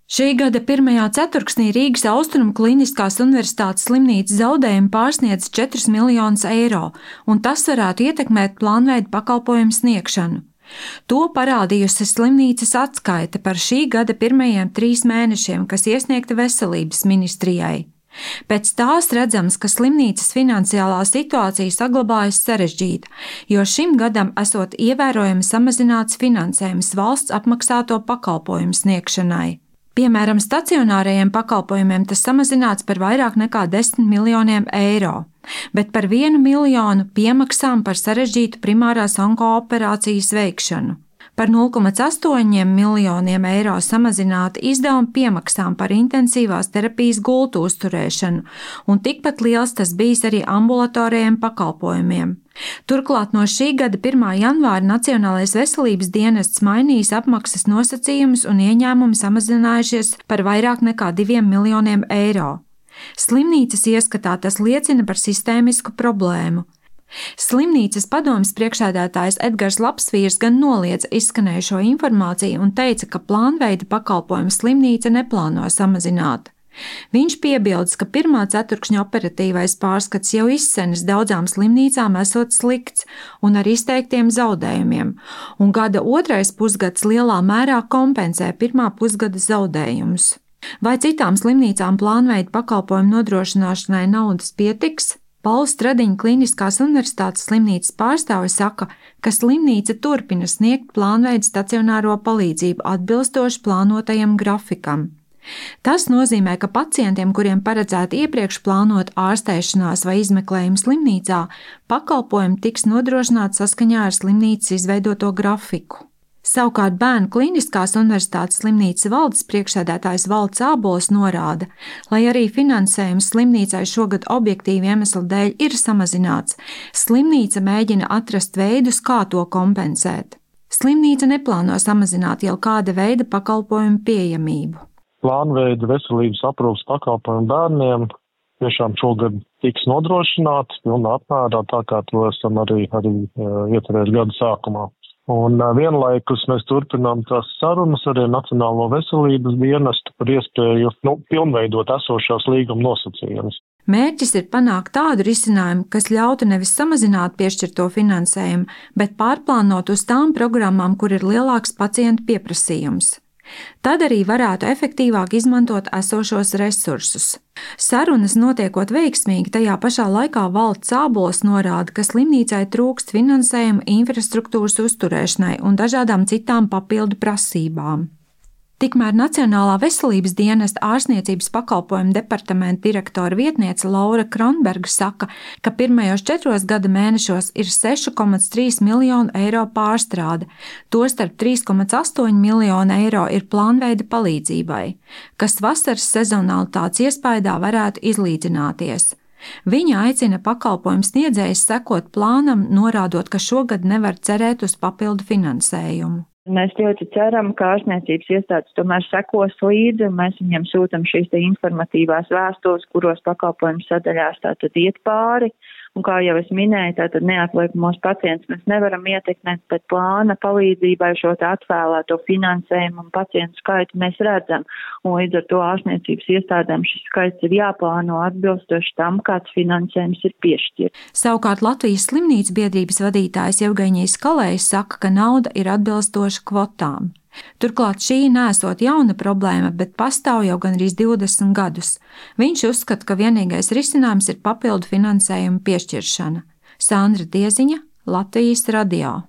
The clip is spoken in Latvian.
Šī gada pirmajā ceturksnī Rīgas Austrumu Kliniskās Universitātes slimnīcas zaudējumi pārsniedz 4 miljonus eiro, un tas varētu ietekmēt plānveida pakalpojumu sniegšanu. To parādījusi slimnīcas atskaite par šī gada pirmajiem 3 mēnešiem, kas iesniegta Veselības ministrijai. Pēc tās redzams, ka slimnīcas finansiālā situācija saglabājas sarežģīta, jo šim gadam esot ievērojami samazināts finansējums valsts apmaksāto pakalpojumu sniegšanai. Piemēram, stacionārajiem pakalpojumiem tas samazināts par vairāk nekā 10 miljoniem eiro, bet par 1 miljonu piemaksām par sarežģītu primārās onkooperācijas veikšanu. Par 0,8 miljoniem eiro samazināti izdevumi piemaksām par intensīvās terapijas gultu uzturēšanu, un tikpat liels tas bijis arī ambulatorijiem pakalpojumiem. Turklāt no šī gada 1. janvāra Nacionālais veselības dienests mainījis apmaksas nosacījumus un ieņēmumi samazinājušies par vairāk nekā 2 miljoniem eiro. Slimnīcas ieskatā tas liecina par sistēmisku problēmu. Slimnīcas padomes priekšsēdētājs Edgars Lapsvīrs gan noliedza izskanējušo informāciju un teica, ka plānveida pakalpojumu slimnīca neplāno samazināt. Viņš piebildes, ka 1. ceturkšņa operatīvais pārskats jau izsenis daudzām slimnīcām esot slikts un ar izteiktiem zaudējumiem, un gada 2. pusgads lielā mērā kompensē 1. pusgada zaudējumus. Vai citām slimnīcām plānveida pakalpojumu nodrošināšanai naudas pietiks? Pauls Stradiņa Kliniskās Universitātes slimnīcas pārstāvis saka, ka slimnīca turpina sniegt plānveida stacionāro palīdzību atbilstoši plānotajam grafikam. Tas nozīmē, ka pacientiem, kuriem paredzēta iepriekš plānot ārstēšanās vai izmeklējumu slimnīcā, pakalpojumi tiks nodrošināti saskaņā ar slimnīcas izveidoto grafiku. Savukārt Bērnu Kliniskās Universitātes slimnīcas valdes priekšsēdētājs Valds Ābols norāda, lai arī finansējums slimnīcai šogad objektīvu iemeslu dēļ ir samazināts, slimnīca mēģina atrast veidus, kā to kompensēt. Slimnīca neplāno samazināt jau kāda veida pakalpojumu pieejamību. Plānveida veselības aprūpes pakalpojumu bērniem tiešām šogad tiks nodrošināts pilnā apmērā, tā kā to esam arī iecerējuši gada sākumā. Un vienlaikus mēs turpinām tās sarunas arī Nacionālo veselības dienestu par iespēju pilnveidot esošās līguma nosacījumus. Mērķis ir panākt tādu risinājumu, kas ļautu nevis samazināt piešķirto finansējumu, bet pārplānot uz tām programmām, kur ir lielāks pacientu pieprasījums. Tad arī varētu efektīvāk izmantot esošos resursus. Sarunas notiekot veiksmīgi, tajā pašā laikā Valds Ābols norāda, ka slimnīcai trūkst finansējuma infrastruktūras uzturēšanai un dažādām citām papildu prasībām. Tikmēr Nacionālā veselības dienesta ārstniecības pakalpojumu departamenta direktora vietniece Laura Kronberga saka, ka pirmajos 4 gada mēnešos ir 6,3 miljonu eiro pārstrāde, tostarp 3,8 miljonu eiro ir plānveida palīdzībai, kas vasaras sezonalitātes iespaidā varētu izlīdzināties. Viņa aicina pakalpojumu sniedzējus sekot plānam, norādot, ka šogad nevar cerēt uz papildu finansējumu. Mēs ļoti ceram, ka ārstniecības iestādes tomēr sekos līdzi, un mēs viņiem sūtam šīs informatīvās vēstules, kuros pakalpojumu sadaļās tātad iet pāri. Un kā jau es minēju, tātad neatliekamos pacientus mēs nevaram ietekmēt, bet plāna palīdzībai šo atvēlēto finansējumu un pacientu skaitu mēs redzam. Un līdz ar to ārstniecības iestādēm šis skaits ir jāplāno atbilstoši tam, kāds finansējums ir piešķirts. Savukārt Latvijas slimnīcu biedrības vadītājs Evgeņijs Kalējs saka, ka nauda ir atbilstoša kvotām. Turklāt šī nesot jauna problēma, bet pastāv jau gandrīz 20 gadus. Viņš uzskata, ka vienīgais risinājums ir papildu finansējuma piešķiršana. Sandra Dieziņa, Latvijas radio.